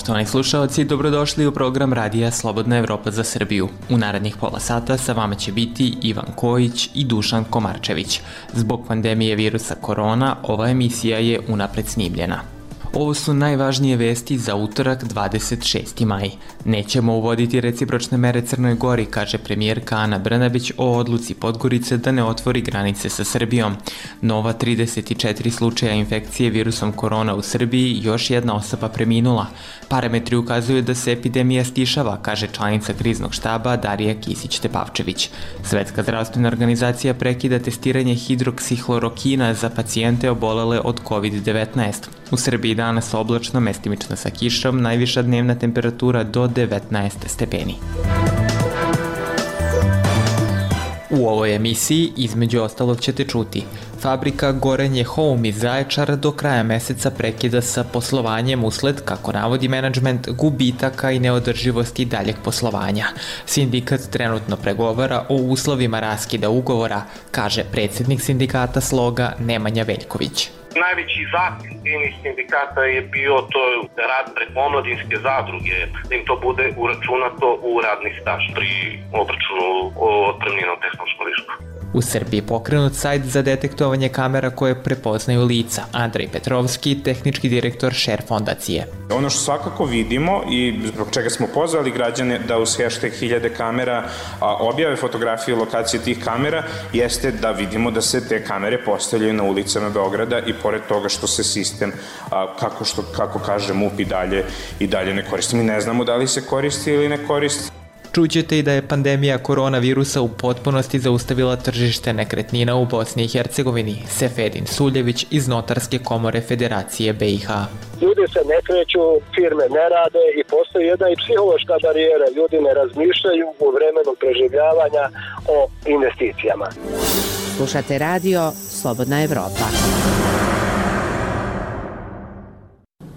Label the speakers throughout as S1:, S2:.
S1: Poštovani slušaoci, dobrodošli u program Radija Slobodna Evropa za Srbiju. U narednih pola sata sa vama će biti Ivan Kojić i Dušan Komarčević. Zbog pandemije virusa korona, ova emisija je unapred snimljena. Ovo su najvažnije vesti za utorak 26. maj. Nećemo uvoditi recipročne mere Crnoj Gori, kaže premijerka Ana Brnabić o odluci Podgorice da ne otvori granice sa Srbijom. Nova 34 slučaja infekcije virusom korona u Srbiji, još jedna osoba preminula. Parametri ukazuju da se epidemija stišava, kaže članica kriznog štaba Darija Kisić-Tepavčević. Svetska zdravstvena organizacija prekida testiranje hidroksihlorokina za pacijente obolele od COVID-19. U Srbiji danas oblačno, mestimično sa kišom, najviša dnevna temperatura do 19 stepeni. U ovoj emisiji, između ostalog, ćete čuti: fabrika Gorenje Home iz Zaječara do kraja meseca prekida sa poslovanjem usled, kako navodi menadžment, gubitaka i neodrživosti daljeg poslovanja. Sindikat trenutno pregovara o uslovima raskida ugovora, kaže predsjednik sindikata Sloga Nemanja Veljković.
S2: Najveći zahtjev tih sindikata je bio to rad preko omladinske zadruge, da im to bude uračunato u radni staž pri obračunu otpremnina u tehnološkom višku.
S1: U Srbiji pokrenut sajt za detektovanje kamera koje prepoznaju lica. Andrej Petrovski, tehnički direktor Share fondacije.
S3: Ono što svakako vidimo i zbog čega smo pozvali građane da uz hashtag 1000 kamera objave fotografije lokacije tih kamera, jeste da vidimo da se te kamere postavljaju na ulicama Beograda i pored toga što se sistem, kako kaže MUP, i dalje ne koristi. Mi ne znamo da li se koristi ili ne koristi.
S1: Čućete i da je pandemija koronavirusa u potpunosti zaustavila tržište nekretnina u Bosni i Hercegovini. Sefedin Suljević iz Notarske komore Federacije BiH.
S4: Ljudi se ne kreću, firme ne rade i postoji jedna i psihološka barijera. Ljudi ne razmišljaju u vremenu preživljavanja o investicijama.
S5: Slušate radio Slobodna Evropa.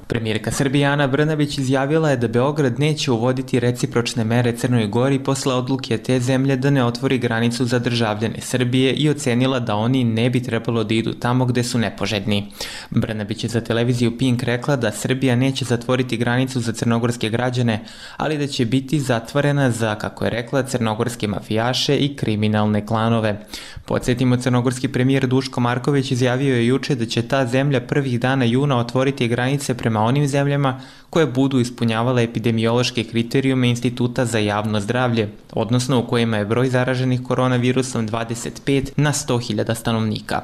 S1: Premijerka Srbije Ana Brnabić izjavila je da Beograd neće uvoditi recipročne mere Crnoj Gori posle odluke te zemlje da ne otvori granicu za državljane Srbije i ocenila da oni ne bi trebalo da idu tamo gde su nepoželjni. Brnabić je za televiziju Pink rekla da Srbija neće zatvoriti granicu za crnogorske građane, ali da će biti zatvorena za, kako je rekla, crnogorske mafijaše i kriminalne klanove. Podsjetimo, crnogorski premijer Duško Marković izjavio je juče da će ta zemlja prvih dana juna otvoriti granice prema onim zemljama koje budu ispunjavale epidemiološke kriterijume Instituta za javno zdravlje, odnosno u kojima je broj zaraženih koronavirusom 25 na 100.000 stanovnika.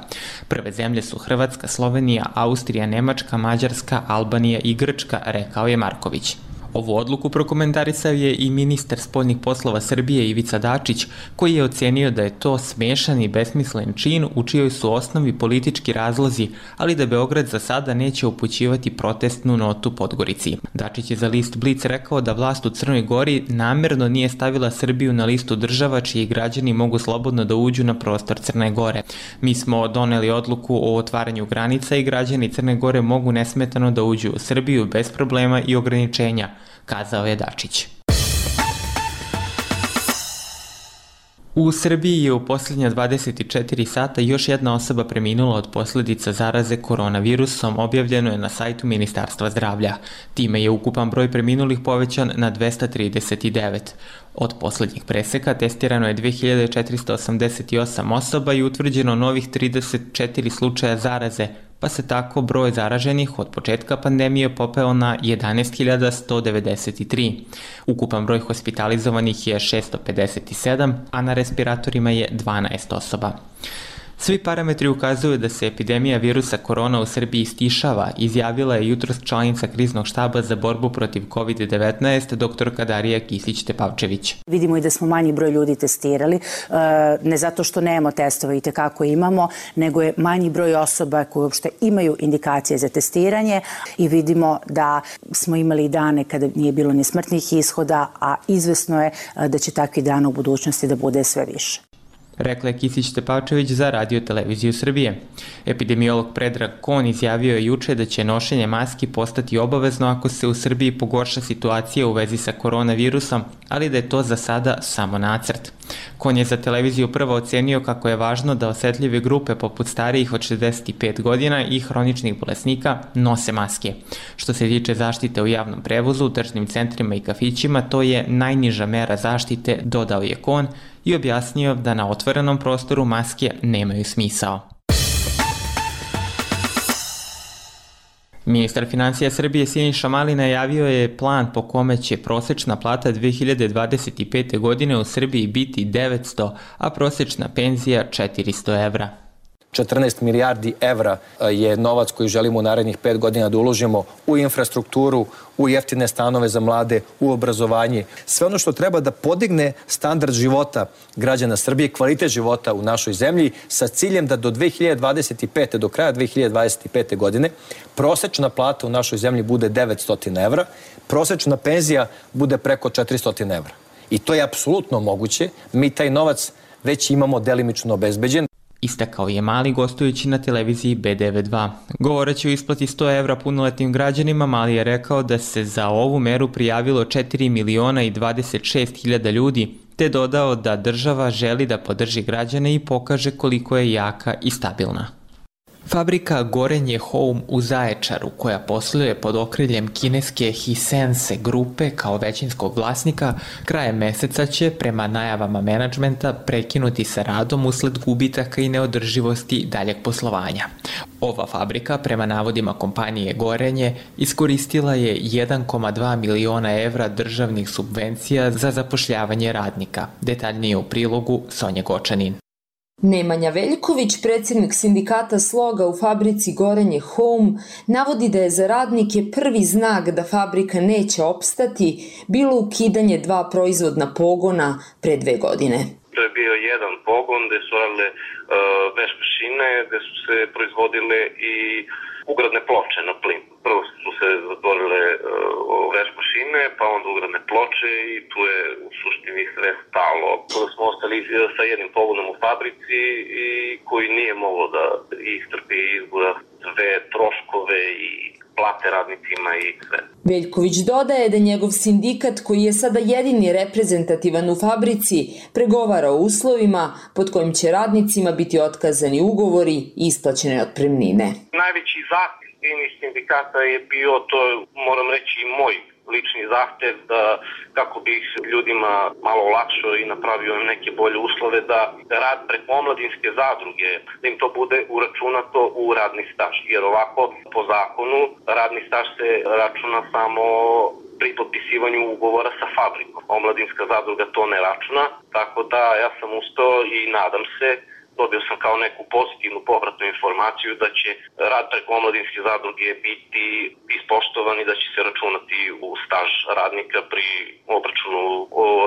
S1: Prve zemlje su Hrvatska, Slovenija, Austrija, Nemačka, Mađarska, Albanija i Grčka, rekao je Marković. Ovu odluku prokomentarisao je i ministar spoljnih poslova Srbije Ivica Dačić, koji je ocenio da je to smešan i besmislen čin u čijoj su osnovi politički razlozi, ali da Beograd za sada neće upućivati protestnu notu Podgorici. Dačić je za list Blic rekao da vlast u Crnoj Gori namerno nije stavila Srbiju na listu država čiji građani mogu slobodno da uđu na prostor Crne Gore. Mi smo doneli odluku o otvaranju granica i građani Crne Gore mogu nesmetano da uđu u Srbiju bez problema i ograničenja, kazao je Dačić. U Srbiji je u posljednja 24 sata još jedna osoba preminula od posljedica zaraze koronavirusom, objavljeno je na sajtu Ministarstva zdravlja. Time je ukupan broj preminulih povećan na 239. Od posljednjih preseka testirano je 2488 osoba i utvrđeno novih 34 slučaja zaraze, pa se tako broj zaraženih od početka pandemije popeo na 11.193. Ukupan broj hospitalizovanih je 657, a na respiratorima je 12 osoba. Svi parametri ukazuju da se epidemija virusa korona u Srbiji stišava, izjavila je jutros članica kriznog štaba za borbu protiv COVID-19 dr. Darija Kisić-Tepavčević.
S6: Vidimo i da smo manji broj ljudi testirali, ne zato što nemamo testove i tekako imamo, nego je manji broj osoba koje uopšte imaju indikacije za testiranje i vidimo da smo imali dane kada nije bilo ni smrtnih ishoda, a izvesno je da će takvi dana u budućnosti da bude sve više.
S1: Rekla je Kisić-Tepavčević za Radio televiziju Srbije. Epidemiolog Predrag Kon izjavio je juče da će nošenje maski postati obavezno ako se u Srbiji pogorša situacija u vezi sa koronavirusom, ali da je to za sada samo nacrt. Kon je za televiziju Prva ocenio kako je važno da osetljive grupe poput starijih od 65 godina i hroničnih bolesnika nose maske. Što se tiče zaštite u javnom prevozu, u tržnim centrima i kafićima, to je najniža mera zaštite, dodao je Kon i objasnio da na otvorenom prostoru maske nemaju smisao. Ministar financija Srbije Siniša Mali najavio je plan po kome će prosečna plata 2025. godine u Srbiji biti 900, a prosečna penzija 400 evra.
S7: 14 milijardi evra je novac koji želimo u narednih 5 godina da uložimo u infrastrukturu, u jeftine stanove za mlade, u obrazovanje. Sve ono što treba da podigne standard života građana Srbije, kvalitet života u našoj zemlji, sa ciljem da do 2025. do kraja 2025. godine prosečna plata u našoj zemlji bude 900 evra, prosečna penzija bude preko 400 evra. I to je apsolutno moguće. Mi taj novac već imamo delimično obezbeđen.
S1: Istakao je Mali gostujući na televiziji B92. Govoreći o isplati 100 evra punoletnim građanima, Mali je rekao da se za ovu meru prijavilo 4.026.000 ljudi, te dodao da država želi da podrži građane i pokaže koliko je jaka i stabilna. Fabrika Gorenje Home u Zaječaru, koja posluje pod okriljem kineske Hisense grupe kao većinskog vlasnika, krajem meseca će, prema najavama menadžmenta, prekinuti sa radom usled gubitaka i neodrživosti daljeg poslovanja. Ova fabrika, prema navodima kompanije Gorenje, iskoristila je 1,2 miliona evra državnih subvencija za zapošljavanje radnika. Detaljnije u prilogu Sonja Gočanin.
S8: Nemanja Veljković, predsjednik sindikata Sloga u fabrici Gorenje Home, navodi da je za radnike prvi znak da fabrika neće opstati bilo ukidanje 2 proizvodna pogona pre 2 godine.
S2: To je bio jedan pogon gde su radile veš mašine, gde su se proizvodile i ugradne ploče na plin. Prvo su se zatvorile veš mašine, pa onda ugradne ploče i tu je u suštini sve stalo. Kada smo ostali sa jednim pogonom u fabrici i koji nije moglo da istrpi izgura sve troškove i plate radnicima i sve.
S8: Veljković dodaje da njegov sindikat, koji je sada jedini reprezentativan u fabrici, pregovara o uslovima pod kojim će radnicima biti otkazani ugovori i isplaćene otpremnine.
S2: Najveći zahtev sindikata je bio, to moram reći i moj lični zahtev, da kako bih ljudima malo olakšao i napravio im neke bolje uslove, da rad preko omladinske zadruge, da im to bude uračunato u radni staž. Jer ovako, po zakonu, radni staž se računa samo pri potpisivanju ugovora sa fabrikom. Omladinska zadruga to ne računa, tako da ja sam ustao i nadam se, dobio sam kao neku pozitivnu povratnu informaciju da će rad preko omladinske zadruge biti ispoštovan i da će se računati u staž radnika pri obračunu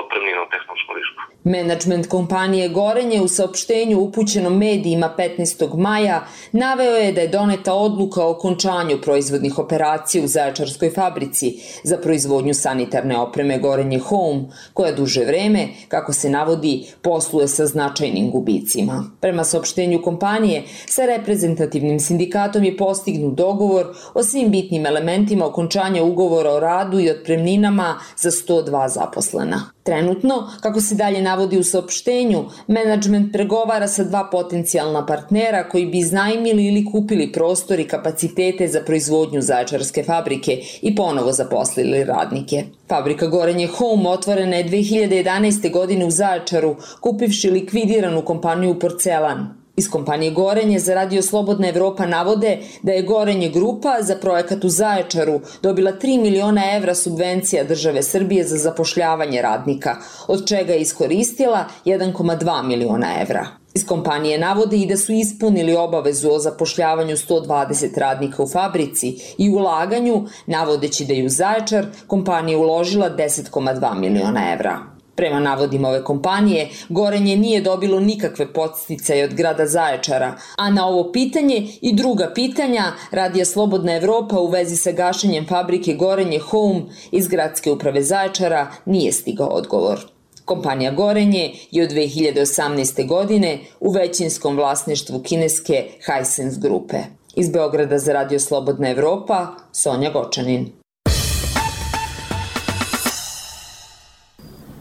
S2: otpremnina u tehnološkom višku.
S8: Menadžment kompanije Gorenje u saopštenju upućenom medijima 15. maja naveo je da je doneta odluka o okončanju proizvodnih operacija u Zaječarskoj fabrici za proizvodnju sanitarne opreme Gorenje Home, koja duže vreme, kako se navodi, posluje sa značajnim gubicima. Prema saopštenju kompanije, sa reprezentativnim sindikatom je postignut dogovor o svim bitnim elementima okončanja ugovora o radu i otpremninama za 102 zaposlena. Trenutno, kako se dalje navodi u saopštenju, menadžment pregovara sa 2 potencijalna partnera koji bi iznajmili ili kupili prostor i kapacitete za proizvodnju Zaječarske fabrike i ponovo zaposlili radnike. Fabrika Gorenje Home otvorena je 2011. godine u Zaječaru, kupivši likvidiranu kompaniju Porcelan. Iz kompanije Gorenje za Radio Slobodna Evropa navode da je Gorenje grupa za projekat u Zaječaru dobila 3 miliona evra subvencija države Srbije za zapošljavanje radnika, od čega je iskoristila 1,2 miliona evra. Iz kompanije navode i da su ispunili obavezu o zapošljavanju 120 radnika u fabrici i ulaganju, navodeći da je u Zaječar kompanija uložila 10,2 miliona evra. Prema navodima ove kompanije, Gorenje nije dobilo nikakve podsticaje od grada Zaječara, a na ovo pitanje i druga pitanja Radio Slobodna Evropa u vezi sa gašenjem fabrike Gorenje Home iz gradske uprave Zaječara nije stigao odgovor. Kompanija Gorenje je od 2018. godine u većinskom vlasništvu kineske Hisense grupe. Iz Beograda za Radio Slobodna Evropa, Sonja Gočanin.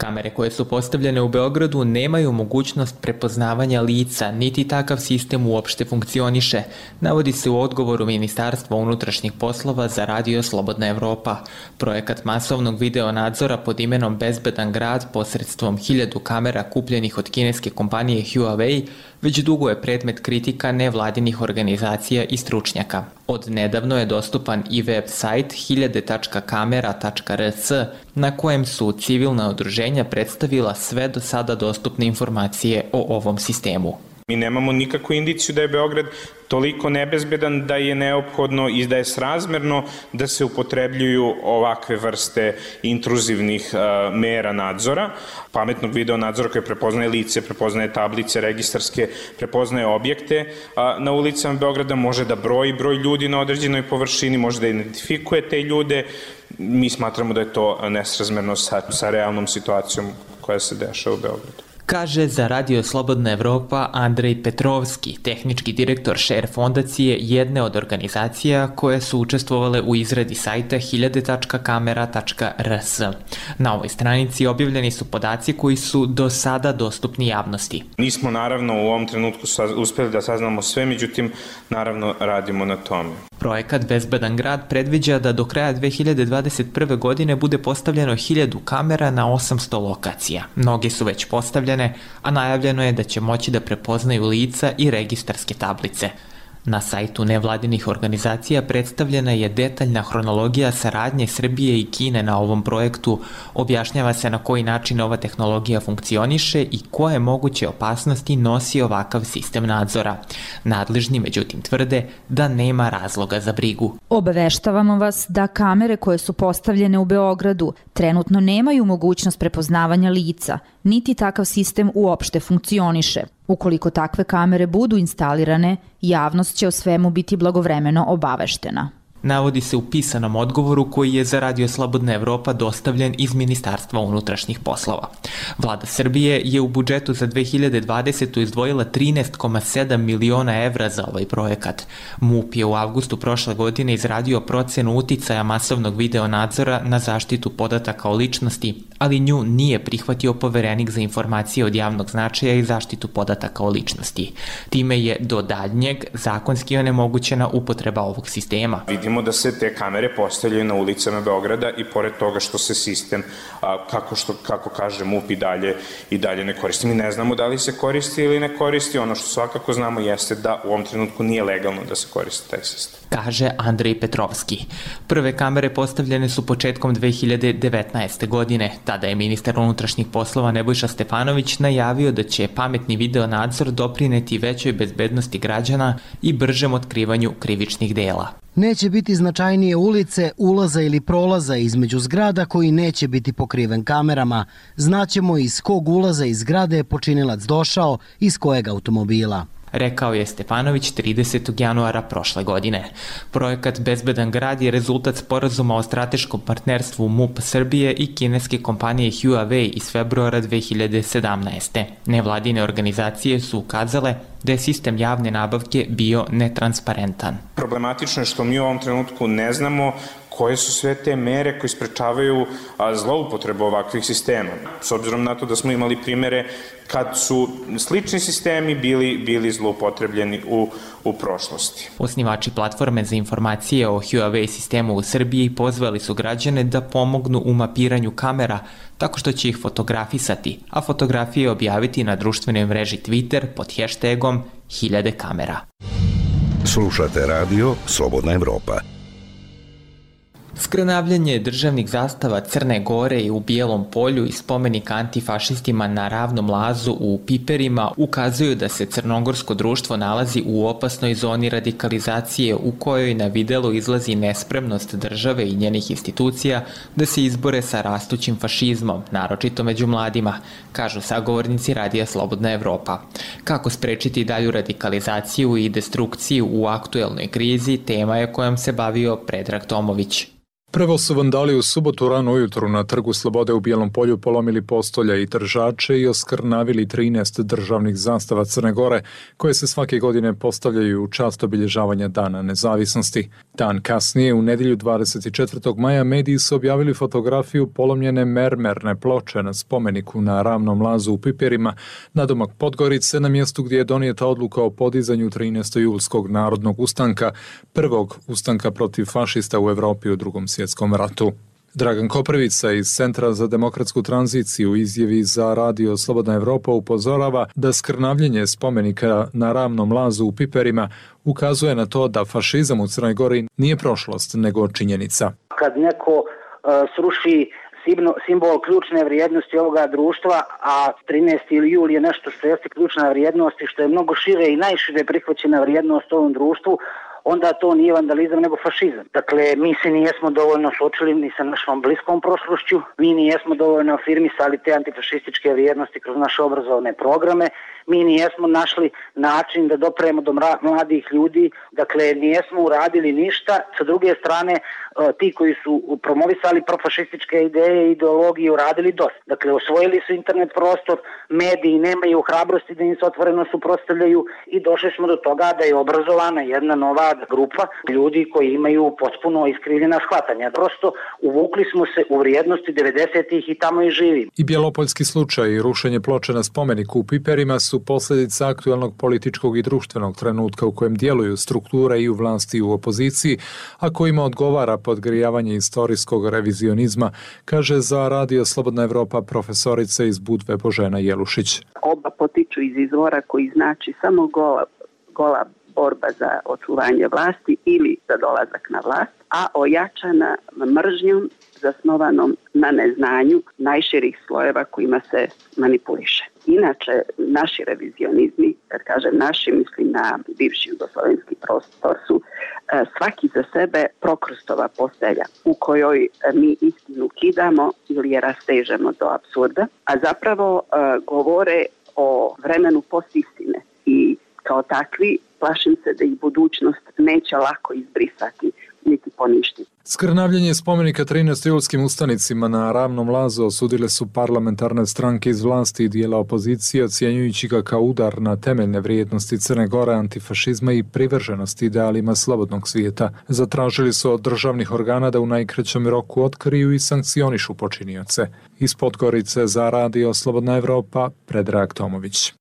S1: Kamere koje su postavljene u Beogradu nemaju mogućnost prepoznavanja lica, niti takav sistem uopšte funkcioniše, navodi se u odgovoru Ministarstva unutrašnjih poslova za Radio Slobodna Evropa. Projekat masovnog video nadzora pod imenom Bezbedan grad posredstvom 1000 kamera kupljenih od kineske kompanije Huawei već dugo je predmet kritika nevladinih organizacija i stručnjaka. Od nedavno je dostupan i web sajt 1000.kamera.rs na kojem su civilna udruženja predstavila sve do sada dostupne informacije o ovom sistemu.
S3: Mi nemamo nikakvu indiciju da je Beograd toliko nebezbedan da je neophodno i da je srazmerno da se upotrebljuju ovakve vrste intruzivnih mera nadzora, pametnog video nadzora koji prepoznaje lice, prepoznaje tablice registarske, prepoznaje objekte na ulicama Beograda, može da broji broj ljudi na određenoj površini, može da identifikuje te ljude. Mi smatramo da je to nesrazmerno sa realnom situacijom koja se dešava u Beogradu.
S1: Kaže za Radio Slobodna Evropa Andrej Petrovski, tehnički direktor Share fondacije, jedne od organizacija koje su učestvovale u izradi sajta 1000.kamera.rs. Na ovoj stranici objavljeni su podaci koji su do sada dostupni javnosti.
S3: Nismo naravno u ovom trenutku uspeli da saznamo sve, međutim naravno radimo na tome.
S1: Projekat Bezbedan grad predviđa da do kraja 2021. godine bude postavljeno 1000 kamera na 800 lokacija. Mnoge su već postavljene, a najavljeno je da će moći da prepoznaju lica i registarske tablice. Na sajtu nevladinih organizacija predstavljena je detaljna hronologija saradnje Srbije i Kine na ovom projektu, objašnjava se na koji način ova tehnologija funkcioniše i koje moguće opasnosti nosi ovakav sistem nadzora. Nadležni međutim tvrde da nema razloga za brigu.
S9: Obaveštavamo vas da kamere koje su postavljene u Beogradu trenutno nemaju mogućnost prepoznavanja lica, niti takav sistem uopšte funkcioniše. Ukoliko takve kamere budu instalirane, javnost će o svemu biti blagovremeno obaveštena.
S1: Navodi se u pisanom odgovoru koji je za Radio Slobodna Evropa dostavljen iz Ministarstva unutrašnjih poslova. Vlada Srbije je u budžetu za 2020. izdvojila 13,7 miliona evra za ovaj projekat. MUP je u avgustu prošle godine izradio procenu uticaja masovnog video nadzora na zaštitu podataka o ličnosti, ali nju nije prihvatio Poverenik za informacije od javnog značaja i zaštitu podataka o ličnosti. Time je do daljnjeg zakonski onemogućena upotreba ovog sistema.
S3: Vidimo da se te kamere postavljaju na ulicama Beograda i pored toga što se sistem, kako kaže MUP, i dalje ne koristi. Mi ne znamo da li se koristi ili ne koristi. Ono što svakako znamo jeste da u ovom trenutku nije legalno da se koristi taj sistem.
S1: Kaže Andrej Petrovski. Prve kamere postavljene su početkom 2019. godine. Tada je ministar unutrašnjih poslova Nebojša Stefanović najavio da će pametni video nadzor doprineti većoj bezbednosti građana i bržem otkrivanju krivičnih dela.
S10: Neće biti značajnije ulice, ulaza ili prolaza između zgrada koji neće biti pokriven kamerama. Znaćemo iz kog ulaza iz zgrade je počinilac došao, iz kojeg automobila.
S1: Rekao je Stefanović 30. januara prošle godine. Projekat Bezbedan grad je rezultat sporazuma o strateškom partnerstvu MUP Srbije i kineske kompanije Huawei iz februara 2017. Nevladine organizacije su ukazale da je sistem javne nabavke bio netransparentan.
S3: Problematično je što mi u ovom trenutku ne znamo koje su sve te mere koje sprečavaju zloupotrebu ovakvih sistema. S obzirom na to da smo imali primere kad su slični sistemi bili zloupotrebljeni u prošlosti.
S1: Osnivači platforme za informacije o Huawei sistemu u Srbiji pozvali su građane da pomognu u mapiranju kamera tako što će ih fotografisati, a fotografije objaviti na društvenoj mreži Twitter pod hashtagom 1000 kamera.
S11: Slušate radio Slobodna Evropa.
S1: Skrnavljanje državnih zastava Crne Gore i u Bijelom polju i spomenik antifašistima na Ravnom lazu u Piperima ukazuju da se crnogorsko društvo nalazi u opasnoj zoni radikalizacije u kojoj na videlu izlazi nespremnost države i njenih institucija da se izbore sa rastućim fašizmom, naročito među mladima, kažu sagovornici Radija Slobodna Evropa. Kako sprečiti dalju radikalizaciju i destrukciju u aktuelnoj krizi, tema je kojom se bavio Predrag Tomović.
S12: Prvo su vandali u subotu rano ujutru na Trgu Slobode u Bijelom Polju polomili postolja i držače i oskrnavili 13 državnih zastava Crne Gore, koje se svake godine postavljaju u čast obilježavanja Dana nezavisnosti. Dan kasnije, u nedjelju 24. maja, mediji su objavili fotografiju polomljene mermerne ploče na spomeniku na Ravnom lazu u Piperima, nadomak Podgorice, na mjestu gdje je donijeta odluka o podizanju 13. julskog narodnog ustanka, prvog ustanka protiv fašista u Evropi u Drugom svjetskom ratu. Dragan Koprivica iz Centra za demokratsku tranziciju u izjavi za radio Slobodna Evropa upozorava da skrnavljenje spomenika na Ravnom lazu u Piperima ukazuje na to da fašizam u Crnoj Gori nije prošlost, nego činjenica.
S13: Kad neko sruši simbol ključne vrijednosti ovoga društva, a 13. jul je nešto što jeste ključna vrijednost i što je mnogo šire i najšire prihvaćena vrijednost u ovom društvu, onda to nije vandalizam nego fašizam. Dakle, mi se nijesmo dovoljno suočili ni sa našom bliskom prošlošću, mi nijesmo dovoljno afirmisali te antifašističke vrijednosti kroz naše obrazovne programe, mi nijesmo našli način da dopremo do mladih ljudi, dakle, nijesmo uradili ništa. Sa druge strane, ti koji su promovisali profašističke ideje i ideologije uradili dosta. Dakle, osvojili su internet prostor, mediji nemaju hrabrosti da im se otvoreno suprotstavljaju i došli smo do toga da je obrazovana jedna nova grupa ljudi koji imaju potpuno iskrivljena shvatanja. Prosto uvukli smo se u vrijednosti 90-ih i tamo i živimo.
S12: I bjelopoljski slučaj i rušenje ploče na spomeniku u Piperima su posljedica aktualnog političkog i društvenog trenutka u kojem djeluju strukture i u vlasti i u opoziciji, a kojima odgovara podgrijavanje istorijskog revizionizma, kaže za radio Slobodna Evropa profesorica iz Budve Božena Jelušić.
S14: Oba potiču iz izvora koji znači samo gola borba za očuvanje vlasti ili za dolazak na vlast, a ojačana mržnjom zasnovanom na neznanju najširih slojeva kojima se manipuliše. Inače, naši revizionizmi, kad kažem naši, mislim na bivši jugoslovenski prostor, su svaki za sebe prokrustova postelja u kojoj mi istinu kidamo ili je rastežemo do apsurda, a zapravo govore o vremenu postistine i kao takvi plašim se da ih budućnost neće lako izbrisati niti poništiti.
S12: Skrnavljenje spomenika 13 julskim ustanicima na Ravnom lazu osudile su parlamentarne stranke iz vlasti i dijela opozicije, ocjenjujući ga kao udar na temeljne vrijednosti Crne Gore, antifašizma i privrženosti idealima slobodnog svijeta. Zatražili su od državnih organa da u najkraćem roku otkriju i sankcionišu počinioce. Iz Podgorice za radio Slobodna Evropa, Predrag Tomović.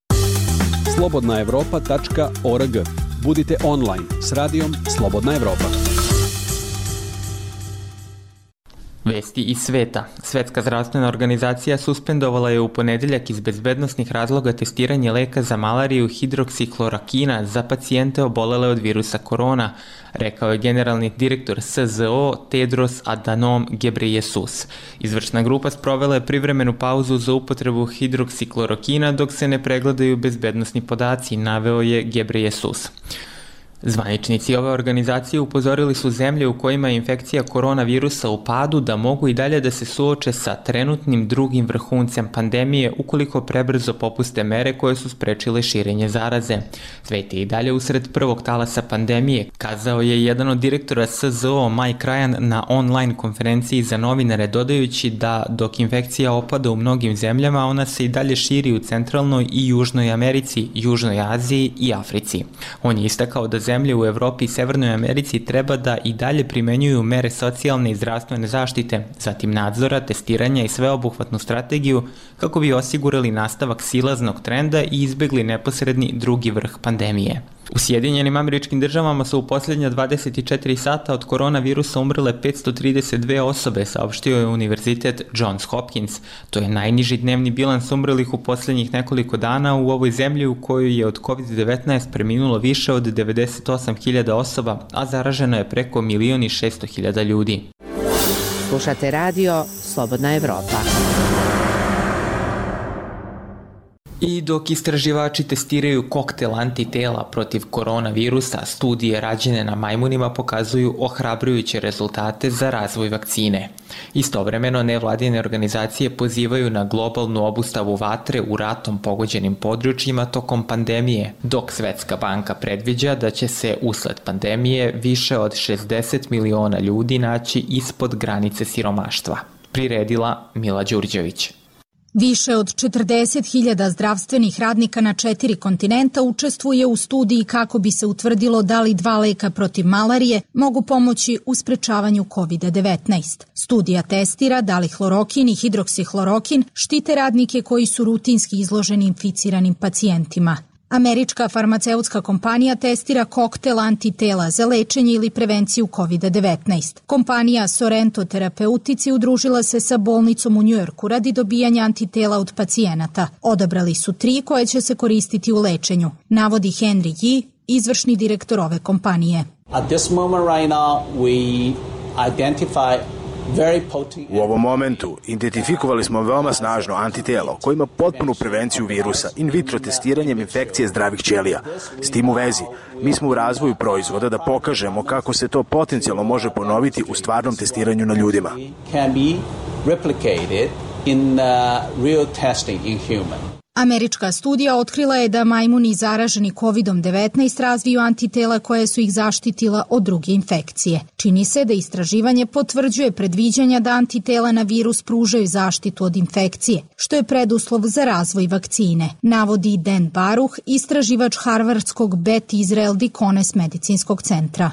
S15: slobodnaevropa.org. Budite online s radijom Slobodna Evropa.
S1: Vesti iz sveta. Svetska zdravstvena organizacija suspendovala je u ponedjeljak iz bezbednosnih razloga testiranje leka za malariju hidroksiklorokina za pacijente obolele od virusa korona, rekao je generalni direktor SZO Tedros Adhanom Ghebreyesus. Izvršna grupa sprovela je privremenu pauzu za upotrebu hidroksiklorokina dok se ne pregledaju bezbednosni podaci, naveo je Ghebreyesus. Zvaničnici ove organizacije upozorili su zemlje u kojima je infekcija koronavirusa u padu da mogu i dalje da se suoče sa trenutnim drugim vrhuncem pandemije ukoliko prebrzo popuste mere koje su sprečile širenje zaraze. Svet je i dalje usred prvog talasa pandemije, kazao je jedan od direktora SZO Mike Ryan na online konferenciji za novinare, dodajući da dok infekcija opada u mnogim zemljama, ona se i dalje širi u centralnoj i južnoj Americi, južnoj Aziji i Africi. On je istakao da zemlje u Evropi i Severnoj Americi treba da i dalje primenjuju mere socijalne i zdravstvene zaštite, zatim nadzora, testiranja i sveobuhvatnu strategiju kako bi osigurali nastavak silaznog trenda i izbegli neposredni drugi vrh pandemije. U Sjedinjenim Američkim Državama su u posljednja 24 sata od koronavirusa umrle 532 osobe, saopštio je Univerzitet Johns Hopkins. To je najniži dnevni bilans umrlih u posljednjih nekoliko dana u ovoj zemlji u kojoj je od COVID-19 preminulo više od 98.000 osoba, a zaraženo je preko 1.600.000 ljudi.
S5: Slušate radio Slobodna Evropa.
S1: I dok istraživači testiraju koktel antitela protiv koronavirusa, studije rađene na majmunima pokazuju ohrabrujuće rezultate za razvoj vakcine. Istovremeno, nevladine organizacije pozivaju na globalnu obustavu vatre u ratom pogođenim područjima tokom pandemije, dok Svetska banka predviđa da će se usled pandemije više od 60 miliona ljudi naći ispod granice siromaštva. Priredila Mila Đurđević.
S16: Više od 40.000 zdravstvenih radnika na 4 kontinenta učestvuje u studiji kako bi se utvrdilo da li 2 leka protiv malarije mogu pomoći u sprečavanju COVID-19. Studija testira da li hlorokin i hidroksihlorokin štite radnike koji su rutinski izloženi inficiranim pacijentima. Američka farmaceutska kompanija testira koktel antitela za lečenje ili prevenciju COVID-19. Kompanija Sorrento Terapeutici udružila se sa bolnicom u Njujorku radi dobijanja antitela od pacijenata. Odabrali su 3 koje će se koristiti u lečenju, navodi Henry Yi, izvršni direktor ove kompanije.
S17: At this moment right now we identify
S18: U ovom momentu identifikovali smo veoma snažno antitelo koje ima potpunu prevenciju virusa in vitro testiranjem infekcije zdravih ćelija. S tim u vezi, mi smo u razvoju proizvoda da pokažemo kako se to potencijalno može ponoviti u stvarnom testiranju na ljudima.
S16: Američka studija otkrila je da majmuni zaraženi COVID-19 razviju antitela koje su ih zaštitila od druge infekcije. Čini se da istraživanje potvrđuje predviđanja da antitela na virus pružaju zaštitu od infekcije, što je preduslov za razvoj vakcine, navodi Dan Baruch, istraživač Harvardskog Beth Israel Deaconess medicinskog centra.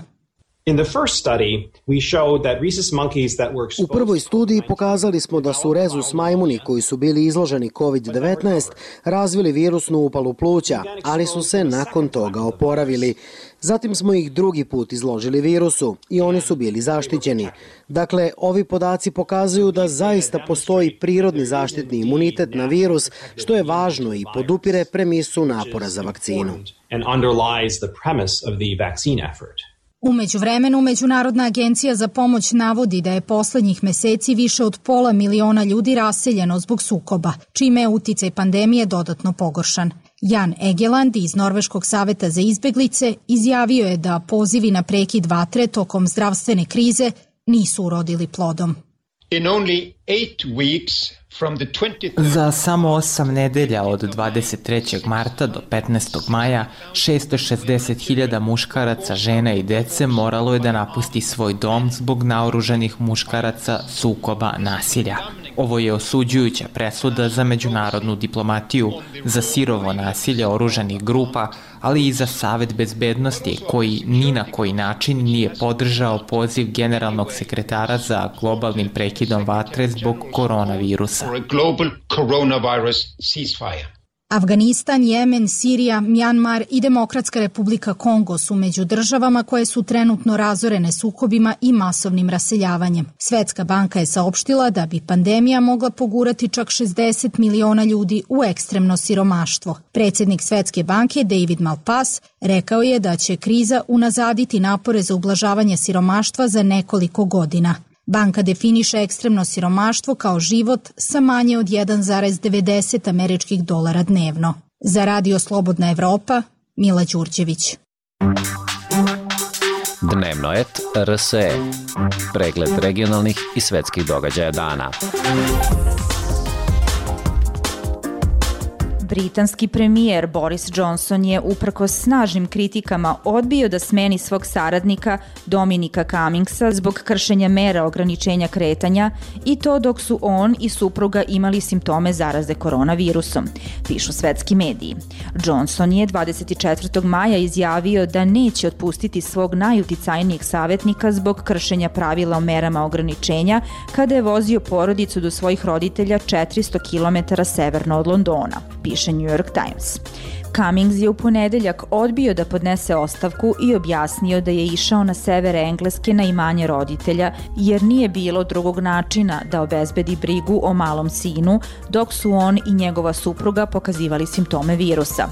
S10: U prvoj studiji pokazali smo da su rezus majmuni koji su bili izloženi COVID-19 razvili virusnu upalu pluća, ali su se nakon toga oporavili. Zatim smo ih drugi put izložili virusu i oni su bili zaštićeni. Dakle, ovi podaci pokazuju da zaista postoji prirodni zaštitni imunitet na virus, što je važno i podupire premisu napora za vakcinu.
S16: U međuvremenu, Međunarodna agencija za pomoć navodi da je poslednjih meseci više od 500.000 ljudi raseljeno zbog sukoba, čime je uticaj pandemije dodatno pogoršan. Jan Egeland iz Norveškog saveta za izbeglice izjavio je da pozivi na prekid vatre tokom zdravstvene krize nisu urodili plodom.
S1: Za samo 8 nedelja od 23. marta do 15. maja 660.000 muškaraca, žena i dece moralo je da napusti svoj dom zbog naoružanih muškaraca, sukoba, nasilja. Ovo je osuđujuća presuda za međunarodnu diplomatiju, za sirovo nasilje oružanih grupa, ali i za Savet bezbednosti koji ni na koji način nije podržao poziv generalnog sekretara za globalnim prekidom vatre zbog koronavirusa.
S16: Afganistan, Jemen, Sirija, Mjanmar i Demokratska republika Kongo su među državama koje su trenutno razorene sukobima i masovnim raseljavanjem. Svetska banka je saopštila da bi pandemija mogla pogurati čak 60 miliona ljudi u ekstremno siromaštvo. Predsjednik Svetske banke David Malpass rekao je da će kriza unazaditi napore za ublažavanje siromaštva za nekoliko godina. Banka definiše ekstremno siromaštvo kao život sa manje od 1,90 američkih dolara dnevno. Za Radio Slobodna Evropa, Mila Đurđević.
S19: Dnevnoet RSE. Pregled regionalnih i svetskih događaja dana.
S9: Britanski premijer Boris Johnson je uprkos snažnim kritikama odbio da smeni svog saradnika Dominika Cummingsa zbog kršenja mera ograničenja kretanja i to dok su on i supruga imali simptome zaraze koronavirusom, pišu svetski mediji. Johnson je 24. maja izjavio da neće otpustiti svog najuticajnijeg savjetnika zbog kršenja pravila o merama ograničenja kada je vozio porodicu do svojih roditelja 400 km severno od Londona, piše New York Times. Cummings je u ponedeljak odbio da podnese ostavku i objasnio da je išao na sever Engleske na imanje roditelja jer nije bilo drugog načina da obezbedi brigu o malom sinu dok su on i njegova supruga pokazivali simptome virusa.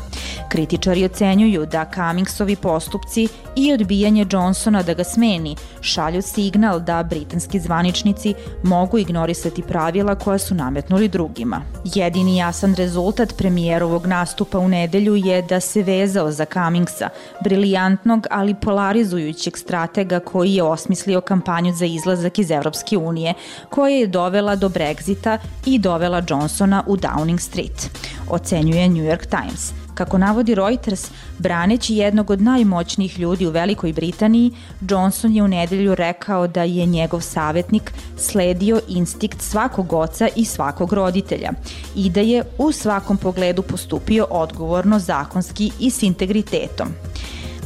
S9: Kritičari ocenjuju da Cummingsovi postupci i odbijanje Johnsona da ga smeni šalju signal da britanski zvaničnici mogu ignorisati pravila koja su nametnuli drugima. Jedini jasan rezultat premijerovog nastupa u nedelju je da se vezao za Cummingsa, brilijantnog ali polarizujućeg stratega koji je osmislio kampanju za izlazak iz Evropske unije, koja je dovela do Brexita i dovela Johnsona u Downing Street, ocenjuje New York Times. Kako navodi Reuters, braneći jednog od najmoćnijih ljudi u Velikoj Britaniji, Johnson je u nedelju rekao da je njegov savjetnik sledio instinkt svakog oca i svakog roditelja i da je u svakom pogledu postupio odgovorno, zakonski i s integritetom.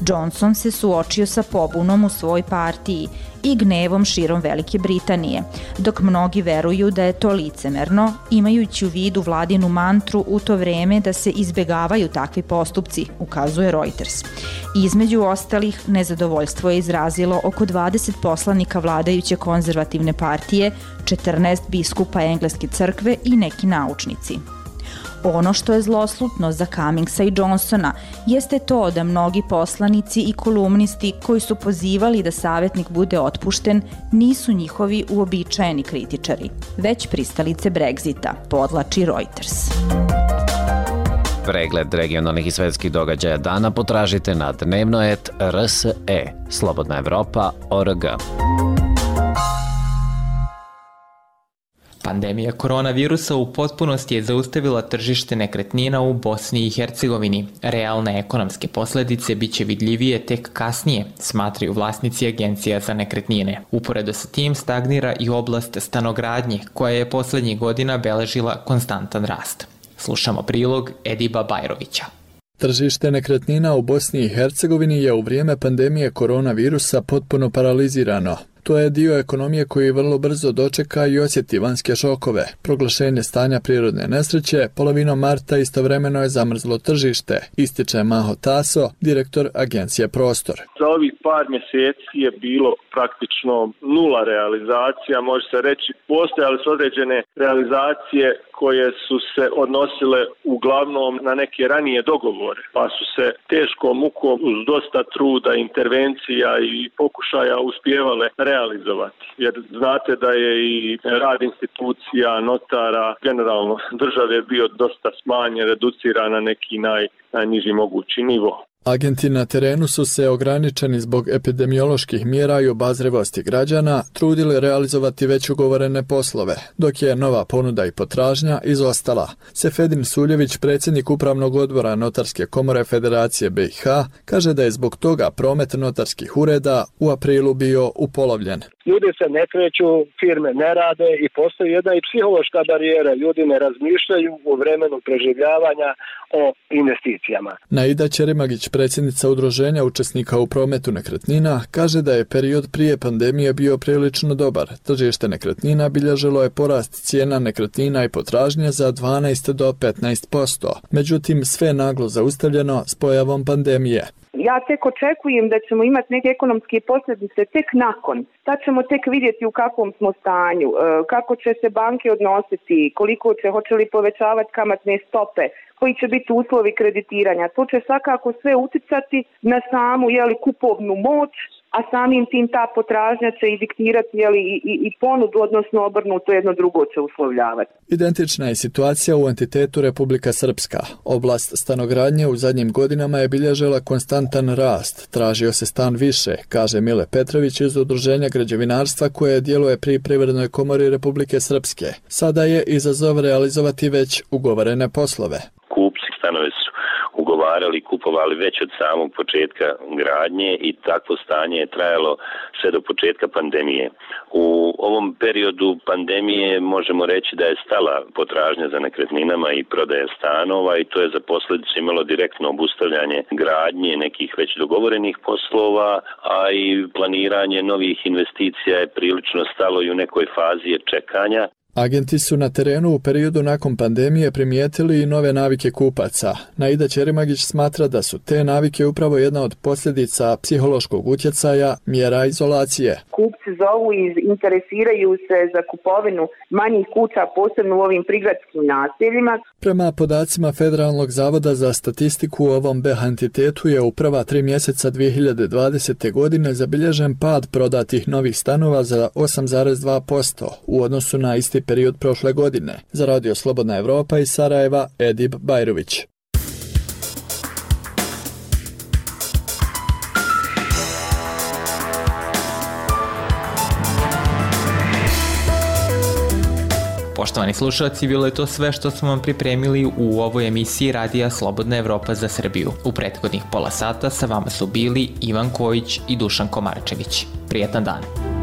S9: Johnson se suočio sa pobunom u svojoj partiji i gnevom širom Velike Britanije, dok mnogi veruju da je to licemerno, imajući u vidu vladinu mantru u to vreme da se izbegavaju takvi postupci, ukazuje Reuters. Između ostalih, nezadovoljstvo je izrazilo oko 20 poslanika vladajuće konzervativne partije, 14 biskupa Engleske crkve i neki naučnici. Ono što je zloslutno za Cummingsa i Johnsona jeste to da mnogi poslanici i kolumnisti koji su pozivali da savjetnik bude otpušten nisu njihovi uobičajeni kritičari, već pristalice Brexita, podlači Reuters.
S19: Pregled regionalnih i svetskih događaja dana potražite na dnevnoet.rse, slobodnaevropa.org.
S1: Pandemija koronavirusa u potpunosti je zaustavila tržište nekretnina u Bosni i Hercegovini. Realne ekonomske posledice biće vidljivije tek kasnije, smatraju vlasnici agencija za nekretnine. Uporedo sa tim stagnira i oblast stanogradnje, koja je poslednjih godina beležila konstantan rast. Slušamo prilog Ediba Bajrovića.
S20: Tržište nekretnina u Bosni i Hercegovini je u vrijeme pandemije koronavirusa potpuno paralizirano. To je dio ekonomije koji vrlo brzo dočeka i osjeti vanjske šokove. Proglašenje stanja prirodne nesreće, polovinom marta istovremeno je zamrzlo tržište, ističe Maho Taso, direktor agencije Prostor.
S21: Za ovih par mjeseci je bilo praktično nula realizacija, može se reći, postojale su određene realizacije koje su se odnosile uglavnom na neke ranije dogovore, pa su se teškom mukom uz dosta truda, intervencija i pokušaja uspijevale realizovati. Jer znate da je i rad institucija, notara, generalno države bio dosta smanjen, reduciran na neki najniži mogući nivo.
S20: Agenti na terenu su se ograničeni zbog epidemioloških mjera i obazrivosti građana trudili realizovati već ugovorene poslove, dok je nova ponuda i potražnja izostala. Sefedin Suljević, predsjednik Upravnog odbora Notarske komore Federacije BiH, kaže da je zbog toga promet notarskih ureda u aprilu bio upolovljen.
S4: Ljudi se ne kreću, firme ne rade i postoji jedna i psihološka barijera. Ljudi ne razmišljaju u vremenu preživljavanja o investicijama.
S20: Naida Ćerimagić, predsjednica Udruženja učesnika u prometu nekretnina, kaže da je period prije pandemije bio prilično dobar. Tržište nekretnina bilježilo je porast cijena nekretnina i potražnje za 12 do 15%. Međutim, sve naglo zaustavljeno s pojavom pandemije.
S22: Ja tek očekujem da ćemo imati neke ekonomske posljedice tek nakon. Tad ćemo tek vidjeti u kakvom smo stanju, kako će se banke odnositi, hoće li povećavati kamatne stope, koji će biti uslovi kreditiranja. To će svakako sve uticati na samu kupovnu moć, a samim tim ta potražnja će i diktirati i ponudu, odnosno obrnuto jedno drugo će uslovljavati.
S20: Identična je situacija u entitetu Republika Srpska. Oblast stanogradnje u zadnjim godinama je bilježila konstantan rast. Tražio se stan više, kaže Mile Petrović iz Udruženja građevinarstva koje djeluje pri Privrednoj komori Republike Srpske. Sada je izazov realizovati već ugovorene poslove.
S23: Kupci stanove su ugovarali i kupovali već od samog početka gradnje i takvo stanje je trajalo sve do početka pandemije. U ovom periodu pandemije možemo reći da je stala potražnja za nekretninama i prodaja stanova i to je za posljedicu imalo direktno obustavljanje gradnje nekih već dogovorenih poslova, a i planiranje novih investicija je prilično stalo i u nekoj fazi čekanja.
S20: Agenti su na terenu u periodu nakon pandemije primijetili i nove navike kupaca. Naida Ćerimagić smatra da su te navike upravo jedna od posljedica psihološkog utjecaja mjera izolacije.
S22: Kupci zovu i interesiraju se za kupovinu manjih kuća, posebno u ovim prigradskim naseljima.
S20: Prema podacima Federalnog zavoda za statistiku u ovom BH entitetu je u prva 3 mjeseca 2020. godine zabilježen pad prodatih novih stanova za 8,2% u odnosu na isti period prošle godine. Za Radio Slobodna Evropa iz Sarajeva, Edib Bajrović.
S1: Poštovani slušalci, bilo je to sve što smo vam pripremili u ovoj emisiji Radija Slobodna Evropa za Srbiju. U prethodnih pola sata sa vama su bili Ivan Kojić i Dušan Komarčević. Prijetan dan!